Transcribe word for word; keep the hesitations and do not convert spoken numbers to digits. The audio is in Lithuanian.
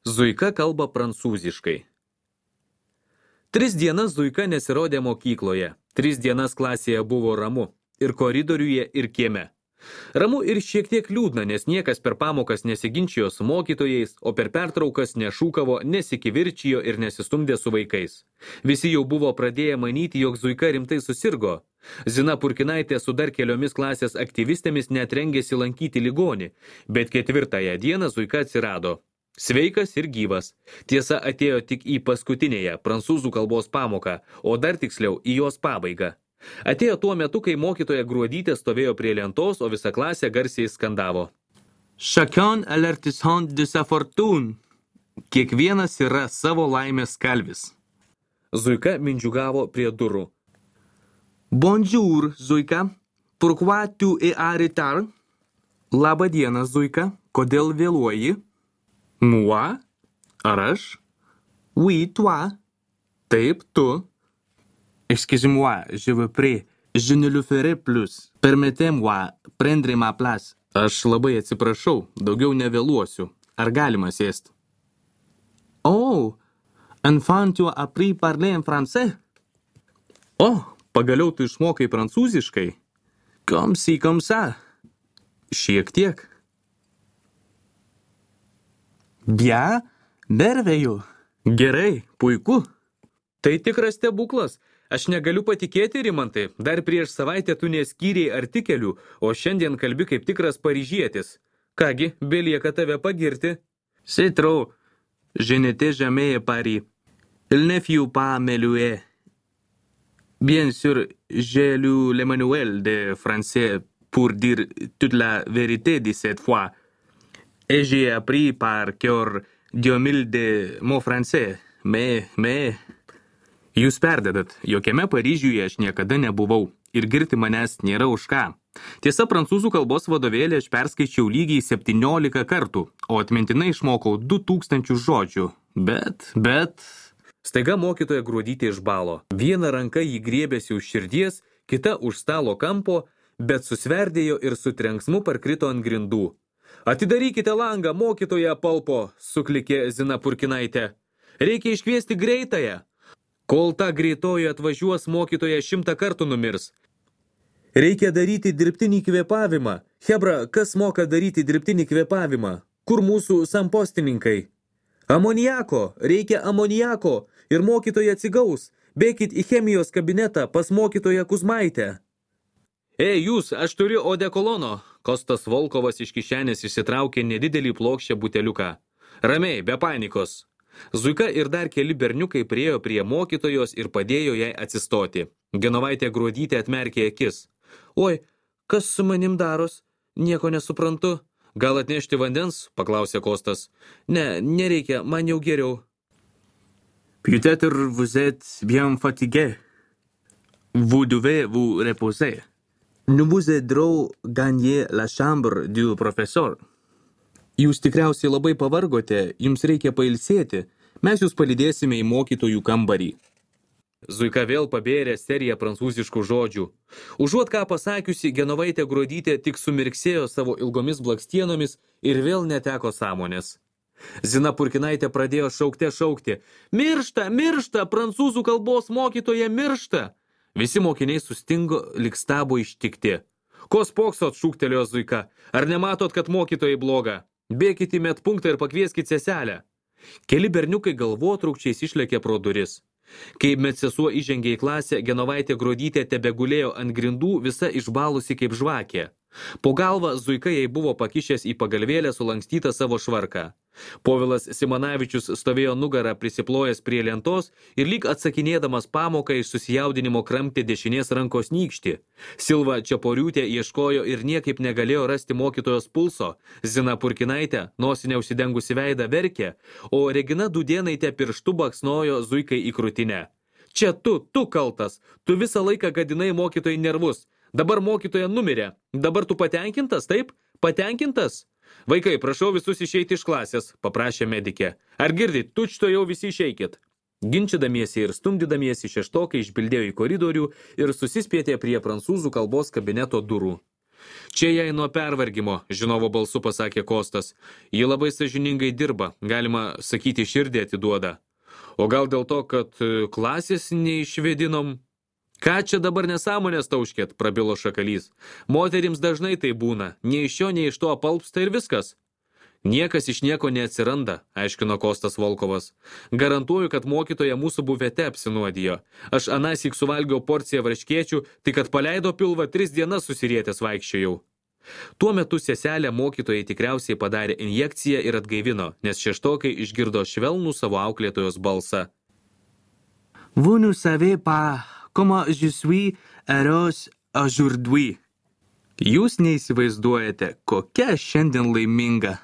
Zuika kalba prancūziškai. Tris dienas Zuika nesirodė mokykloje. Tris dienas klasėje buvo ramu. Ir koridoriuje, ir kieme. Ramu ir šiek tiek liūdna, nes niekas per pamokas nesiginčijo su mokytojais, o per pertraukas nešūkavo, nesikivirčijo ir nesistumdė su vaikais. Visi jau buvo pradėję manyti, jog Zuika rimtai susirgo. Zina Purkinaitė su dar keliomis klasės aktyvistėmis net rengėsi lankyti ligonį, bet ketvirtąją dieną Zuika atsirado. Sveikas ir gyvas. Tiesa, atėjo tik į paskutinėje prancūzų kalbos pamoką, o dar tiksliau į jos pabaigą. Atėjo tuo metu, kai mokytoja Gruodytė stovėjo prie lentos, o visa klasė garsiai skandavo. Chacun a l'artisan de sa fortune. Kiekvienas yra savo laimės kalvis. Zuika mindžiugavo prie durų. Bonjour, Zuika. Pourquoi tu es en retard? Labą dieną, Zuika. Kodėl vėluoji? Moi? Ar aš? Oui, toi. Taip, tu. Excusez-moi, je vous prie. Je ne le ferai plus. Permettez-moi prendre ma place. Aš labai atsiprašau, daugiau nevėluosiu. Ar galima sėsti? Oh, enfin tu as appris parler en français? Oh, pagaliau tu išmokai prancūziškai? Comme si, comme ça. Šiek tiek. Bien, merveilleux. Gerai, puiku. Tai tikras stebuklas. Aš negaliu patikėti, Rimantai. Dar prieš savaitę tu neskyrei artikelių, o šiandien kalbi kaip tikras paryžietis. Kągi, belieka tave pagirti. C'est trop. Je n'étais jamais à Paris. Il ne fut pas melué. Bien sûr, j'ai lu le manuel de français pour dire toute la vérité de cette fois. Et j'ai appris par cœur deux mille de mots français. Mais, mais... Jūs perdedat, jokiame Paryžiuje aš niekada nebuvau. Ir girti manęs nėra už ką. Tiesa, prancūzų kalbos vadovėlį aš perskaičiau lygiai septyniolika kartų, o atmintinai išmokau du tūkstančius žodžių. Bet, bet... Staiga mokytoja Gruodytė išbalo. Viena ranka jį griebėsi už širdies, kita už stalo kampo, bet susverdėjo ir su trenksmu parkrito ant grindų. Atidarykite langą, mokytoja Palpo, suklikė Zina Purkinaitė. Reikia iškviesti greitąją. Kol ta greitoji atvažiuos, mokytoja šimtą kartų numirs. Reikia daryti dirbtinį kvėpavimą. Hebra, kas moka daryti dirbtinį kvėpavimą? Kur mūsų sampostininkai? Amoniako, reikia amoniako. Ir mokytoja atsigaus. Bėkit į chemijos kabinetą pas mokytoją Kuzmaitę. Ei, jūs, aš turiu odekolono. Kostas Volkovas iš kišenės išsitraukė nedidelį plokščią buteliuką. Ramiai, be panikos. Zuika ir dar keli berniukai priėjo prie mokytojos ir padėjo jai atsistoti. Genovaitė Gruodytė atmerkė akis. Oi, kas su manim daros? Nieko nesuprantu. Gal atnešti vandens? Paklausė Kostas. Ne, nereikia, man jau geriau. Peut-être vous êtes bien fatigué. Vous devez vous reposer. Nous vous aiderons gagner la chambre du professeur. Jūs tikriausiai labai pavargote, jums reikia pailsėti. Mes jūs palydėsime į mokytojų kambarį. Zuika vėl pabėrė seriją prancūziškų žodžių. Užuot ką pasakiusi, Genovaitė Gruodytė tik sumirksėjo savo ilgomis blakstienomis ir vėl neteko sąmonės. Zina Purkinaitė pradėjo šaukte šaukti. Miršta, miršta, prancūzų kalbos mokytoja miršta. Visi mokiniai sustingo, lyg stabo ištikti. Ko spoksot, šūktelėjo Zuika. Ar nematot, kad mokytojai bloga? Bėkit į medpunktą ir pakvieskit seselę. Keli berniukai galvotrūkčiais išlėkė pro duris. Kai medsesuo įžengė į klasę, Genovaitė Gruodytė tebegulėjo ant grindų, visa išbalusi kaip žvakė. Po galvą Zuika jai buvo pakišęs į pagalvėlę sulankstytą savo švarką. Povilas Simonavičius stovėjo nugarą prisiplojęs prie lentos ir lyg atsakinėdamas pamoką iš susijaudinimo kramtė dešinės rankos nykštį. Silva Čeporiūtė ieškojo ir niekaip negalėjo rasti mokytojos pulso. Zina Purkinaitė, nosinė užsidengusi veidą, verkė, o Regina Dudėnaitė pirštu baksnojo Zuikai į krūtinę. Čia tu, tu kaltas, tu visą laiką gadinai mokytojai nervus. Dabar mokytoja numirė. Dabar tu patenkintas, taip? Patenkintas? Vaikai, prašau visus išeiti iš klasės, paprašė medikė. Ar girdit, tučto jau visi išeikit. Ginčydamiesi ir stumdydamiesi šeštokai išbildėjo į koridorių ir susispietė prie prancūzų kalbos kabineto durų. Čia jai nuo pervargimo, žinovo balsu pasakė Kostas. Ji labai sąžiningai dirba, galima sakyti, širdį atiduoda. O gal dėl to, kad klasės neišvėdinom? Ką čia dabar nesąmonės tauškėt, prabilo Šakalys. Moterims dažnai tai būna, nei iš šio, nei iš to apalpsta ir viskas. Niekas iš nieko neatsiranda, aiškino Kostas Volkovas. Garantuoju, kad mokytoja mūsų bufete apsinuodijo. Aš anąsyk suvalgiau porciją varškėčių, tai kad paleido pilvą tris dienas susirietęs vaikščiojau. Tuo metu seselė mokytojai tikriausiai padarė injekciją ir atgaivino, nes šeštokai išgirdo švelnų savo auklėtojos balsą. Vous ne savez pas comment je suis heureuse aujourd'hui. Jūs neįsivaizduojate, kokia šiandien laiminga.